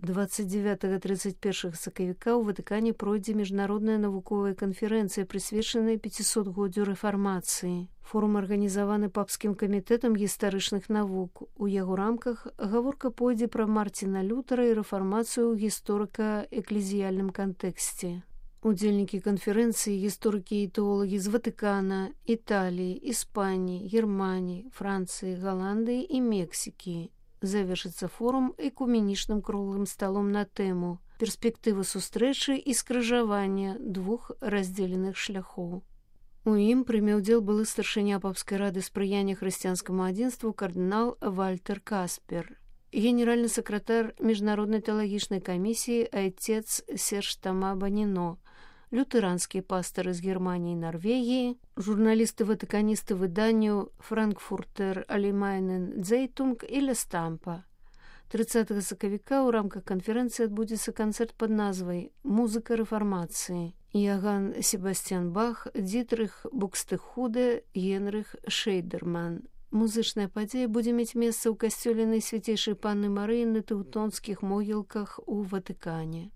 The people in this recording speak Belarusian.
29-31 сакавіка ў Ватыкане пройдзе міжнародная навуковая канферэнцыя, прысвечаная 500-годдзю рэфармацыі. Форум арганізаваны папскім камітэтам гістарычных навук. У яго рамках гаворка пойдзе пра Марціна Лютера і рэфармацыю ў гісторыка-эклезіяльным кантэксце. Удзельнікі канферэнцыі гісторыкі і тэолагі з Ватыкана, Італіі, Іспаніі, Германіі, Францыі, Галандыі і Мексікі. Завершыцца форум экуменічным круглым сталом на тэму «Перспектыва сустрэчы і скрыжавання двух раздзеленых шляхоў». У ім прыме ўдзел былы старшыня папскай рады спрыяння хрысціянскаму адзінству кардынал Вальтер Каспер, генеральны сакратар міжнароднай тэалагічнай камісіі айцец Серж Тома Баніно, лютеранскі пастары з Германіі і Нарвегіі, журналісты-ватыканісты выданню «Франкфуртер Allgemeinen Zeitung» і «Ля Стампа». 30 сакавіка ў рамках канферэнцыі адбудзецца канцэрт пад назвай «Музыка рэфармацыі». Яган Себастьян Бах, Дітрых Букстехуде, Генрых Шейдерман. Музычная падзея будзе мець месца ў касцёле Найсвяцейшай Панны Марыі на Тэўтонскіх могілках у Ватыкане.